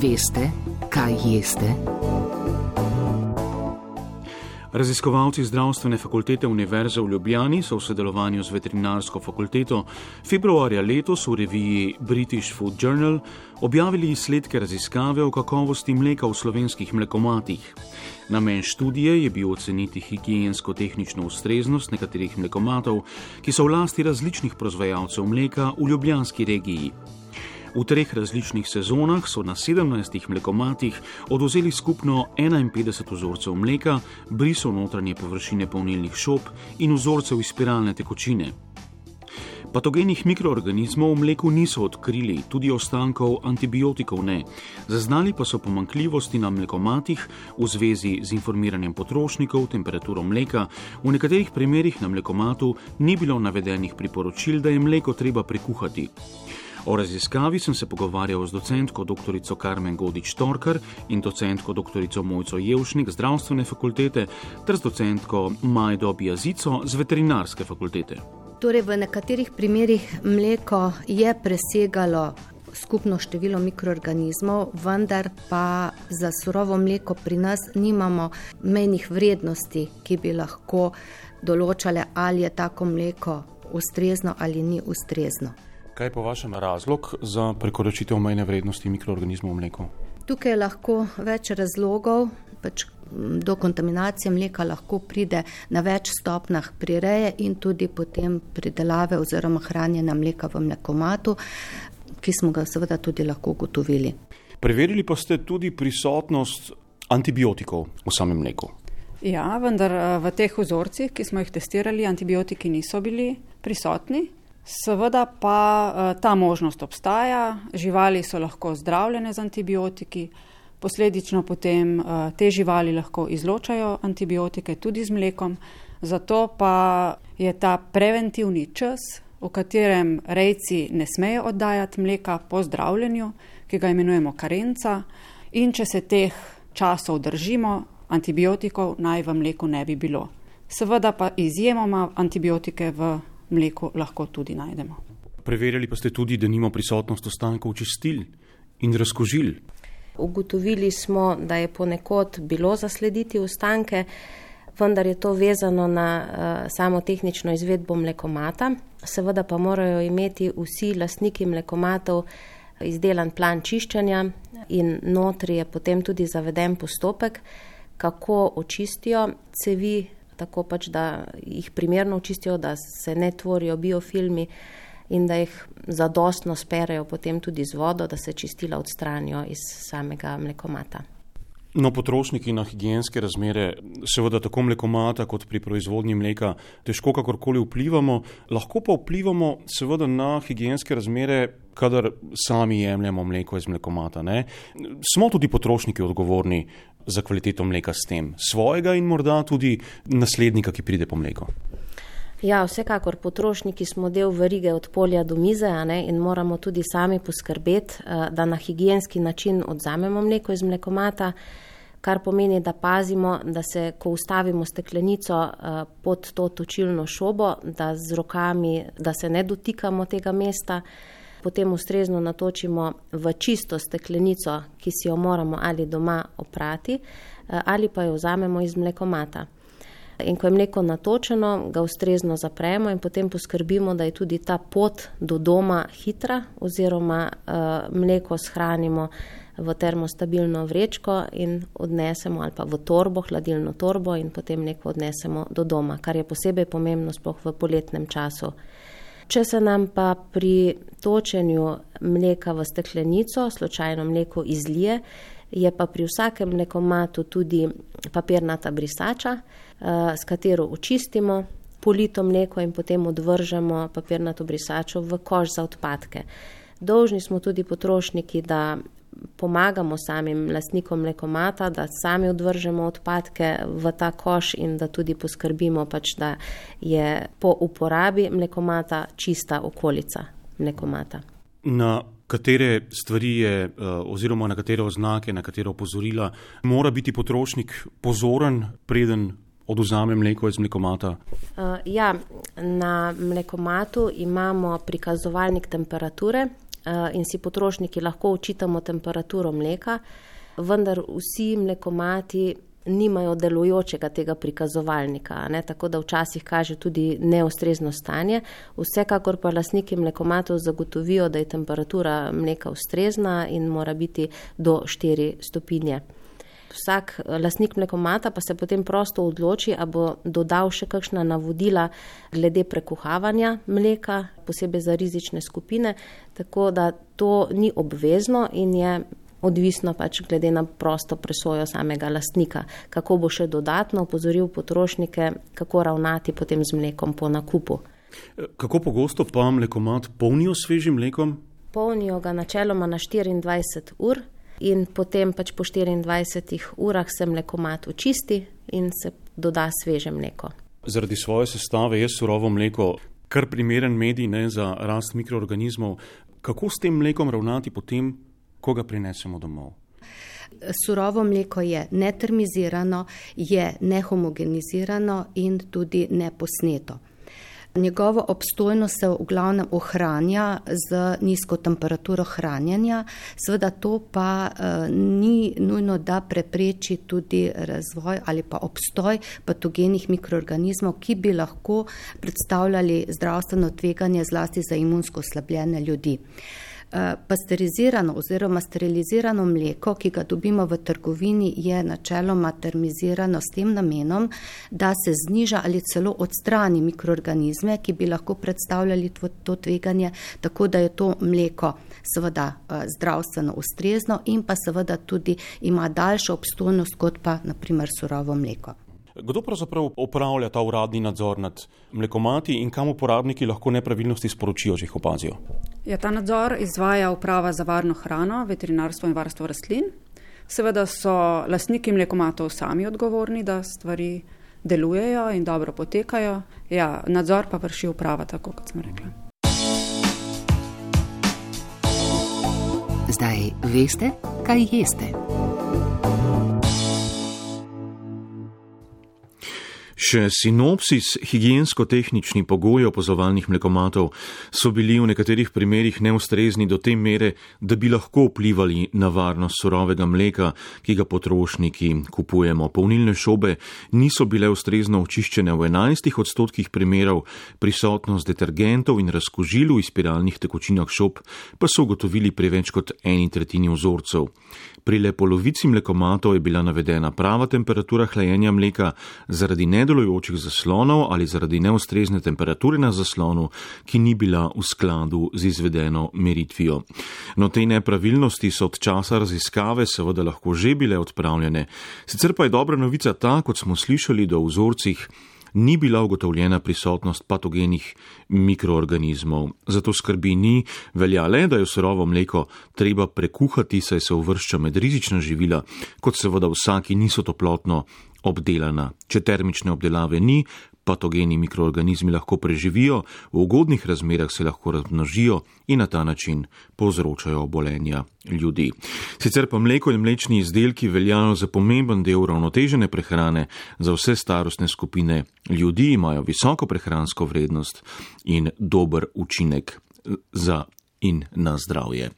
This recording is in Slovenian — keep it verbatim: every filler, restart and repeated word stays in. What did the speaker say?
Veste, kaj jeste? Raziskovalci Zdravstvene fakultete Univerze v Ljubljani so v sodelovanju z veterinarsko fakulteto februarja letos v reviji British Food Journal objavili izsledke raziskave o kakovosti mleka v slovenskih mlekomatih. Namen študije je bil oceniti higiensko-tehnično ustreznost nekaterih mlekomatov, ki so v lasti različnih proizvajalcev mleka v ljubljanski regiji. V treh različnih sezonah so na sedemnajstih mlekomatih odvzeli skupno enainpetdeset vzorcev mleka, brisov notranje površine polnilnih šob in vzorcev iz spiralne tekočine. Patogenih mikroorganizmov v mleku niso odkrili, tudi ostankov antibiotikov ne. Zaznali pa so pomanjkljivosti na mlekomatih v zvezi z informiranjem potrošnikov, temperaturo mleka. V nekaterih primerih na mlekomatu ni bilo navedenih priporočil, da je mleko treba prekuhati. O raziskavi sem se pogovarjal z docentko doktorico Karmen Godič-Torkar in docentko doktorico Mojco Jevšnik z Zdravstvene fakultete ter z docentko Majdo Biazico z Veterinarske fakultete. Torej, v nekaterih primerih mleko je presegalo skupno število mikroorganizmov, vendar pa za surovo mleko pri nas nimamo mejnih vrednosti, ki bi lahko določale, ali je tako mleko ustrezno ali ni ustrezno. Kaj je po vašem razlog za prekoračitev mejne vrednosti mikroorganizmov v mleku? Tukaj je lahko več razlogov, pač do kontaminacije mleka lahko pride na več stopnjah prireje in tudi potem pridelave oziroma hranjenja mleka v mlekomatu, ki smo ga seveda tudi lahko ugotovili. Preverili pa ste tudi prisotnost antibiotikov v samem mleku. Ja, vendar v teh vzorcih, ki smo jih testirali, antibiotiki niso bili prisotni. Seveda pa ta možnost obstaja, živali so lahko zdravljene z antibiotiki, posledično potem te živali lahko izločajo antibiotike tudi z mlekom, zato pa je ta preventivni čas, v katerem rejci ne smejo oddajati mleka po zdravljenju, ki ga imenujemo karenca, in če se teh časov držimo, antibiotikov naj v mleku ne bi bilo. Seveda pa izjemoma antibiotike v mleku lahko tudi najdemo. Preverjali pa ste tudi, da nima prisotnost ostankov čistil in razkužil. Ugotovili smo, da je ponekod bilo zaslediti ostanke, vendar je to vezano na uh, samo tehnično izvedbo mlekomata. Seveda pa morajo imeti vsi lastniki mlekomatov izdelan plan čiščenja in notri je potem tudi zaveden postopek, kako očistijo cevi, tako pač, da jih primerno očistijo, da se ne tvorijo biofilmi in da jih zadostno sperejo potem tudi z vodo, da se čistila odstranijo iz samega mlekomata. No, potrošniki na higienske razmere, seveda tako mlekomata kot pri proizvodnji mleka, težko kakorkoli vplivamo, lahko pa vplivamo seveda na higienske razmere, kadar sami jemljemo mleko iz mlekomata, ne? Smo tudi potrošniki odgovorni za kvaliteto mleka s tem, svojega in morda tudi naslednika, ki pride po mleko? Ja, vsekakor potrošniki smo del verige od polja do mize, a ne, in moramo tudi sami poskrbeti, da na higienski način odzamemo mleko iz mlekomata, kar pomeni, da pazimo, da se, ko ustavimo steklenico pod to točilno šobo, da z rokami, da se ne dotikamo tega mesta, potem ustrezno natočimo v čisto steklenico, ki si jo moramo ali doma oprati, ali pa jo vzamemo iz mlekomata. In ko je mleko natočeno, ga ustrezno zapremo in potem poskrbimo, da je tudi ta pot do doma hitra, oziroma uh, mleko shranimo v termostabilno vrečko in odnesemo, ali pa v torbo, hladilno torbo, in potem mleko odnesemo do doma, kar je posebej pomembno sploh v poletnem času. Če se nam pa pri točenju mleka v steklenico slučajno mleko izlije, je pa pri vsakem mlekomatu tudi papirnata brisača, s katero očistimo polito mleko in potem odvržemo papirnato brisačo v koš za odpadke. Dolžni smo tudi potrošniki, da pomagamo samim lastnikom mlekomata, da sami odvržemo odpadke v ta koš in da tudi poskrbimo, pač, da je po uporabi mlekomata čista okolica mlekomata. Na katere stvari je, oziroma na katere oznake, na katere opozorila mora biti potrošnik pozoren, preden odvzame mleko iz mlekomata? Uh, ja, na mlekomatu imamo prikazovalnik temperature in si potrošniki lahko očitamo temperaturo mleka, vendar vsi mlekomati nimajo delujočega tega prikazovalnika, ne? Tako da včasih kaže tudi neustrezno stanje. Vsekakor pa lastniki mlekomatov zagotovijo, da je temperatura mleka ustrezna in mora biti do štiri stopinje. Vsak lastnik mlekomata pa se potem prosto odloči, a bo dodal še kakšna navodila glede prekuhavanja mleka, posebej za rizične skupine, tako da to ni obvezno in je odvisno pač glede na prosto presojo samega lastnika, kako bo še dodatno opozoril potrošnike, kako ravnati potem z mlekom po nakupu. Kako pogosto pa mlekomat polnijo s svežim mlekom? Polnijo ga načeloma na štiriindvajset ur in potem pač po štiriindvajsetih urah se mlekomat očisti in se doda sveže mleko. Zaradi svoje sestave je surovo mleko kar primeren medij, ne, za rast mikroorganizmov. Kako s tem mlekom ravnati potem, ko ga prinesemo domov? Surovo mleko je netermizirano, je nehomogenizirano in tudi neposneto. Njegovo obstojnost se v glavnem ohranja z nizko temperaturo hranjenja, seveda to pa uh, ni nujno, da prepreči tudi razvoj ali pa obstoj patogenih mikroorganizmov, ki bi lahko predstavljali zdravstveno tveganje zlasti za imunsko oslabljene ljudi. Pasterizirano oziroma sterilizirano mleko, ki ga dobimo v trgovini, je načeloma termizirano s tem namenom, da se zniža ali celo odstrani mikroorganizme, ki bi lahko predstavljali to, to tveganje, tako da je to mleko seveda zdravstveno ustrezno in pa seveda tudi ima daljšo obstojnost kot pa na primer surovo mleko. Kdo pravzaprav opravlja ta uradni nadzor nad mlekomati in kam uporabniki lahko nepravilnosti sporočijo, če jih opazijo? Ja, ta nadzor izvaja Uprava za varno hrano, veterinarstvo in varstvo rastlin. Seveda so lastniki mlekomatov sami odgovorni, da stvari delujejo in dobro potekajo. Ja, nadzor pa vrši uprava, tako kot sem rekla. Zdaj veste, kaj jeste. Še sinopsis higiensko-tehnični pogoji opazovalnih mlekomatov so bili v nekaterih primerih neustrezni do te mere, da bi lahko vplivali na varnost surovega mleka, ki ga potrošniki kupujemo. Polnilne šobe niso bile ustrezno očiščene v enajstih odstotkih primerov, prisotnost detergentov in razkužil v spiralnih tekočinah šob pa so ugotovili pri več kot eni tretjini vzorcev. Pri le polovici mlekomatov je bila navedena prava temperatura hlajenja mleka zaradi nedelujočih zaslonov ali zaradi neustrezne temperature na zaslonu, ki ni bila v skladu z izvedeno meritvijo. No, te nepravilnosti so od časa raziskave seveda lahko že bile odpravljene. Sicer pa je dobra novica ta, kot smo slišali, da v vzorcih ni bila ugotovljena prisotnost patogenih mikroorganizmov. Zato skrbi ni, velja le, da je surovo mleko treba prekuhati, saj se uvršča med rizična živila, kot seveda vsaki niso toplotno obdelana. Če termične obdelave ni, patogeni mikroorganizmi lahko preživijo, v ugodnih razmerah se lahko razmnožijo in na ta način povzročajo obolenja ljudi. Sicer pa mleko in mlečni izdelki veljajo za pomemben del uravnotežene prehrane za vse starostne skupine ljudi, imajo visoko prehransko vrednost in dober učinek za in na zdravje.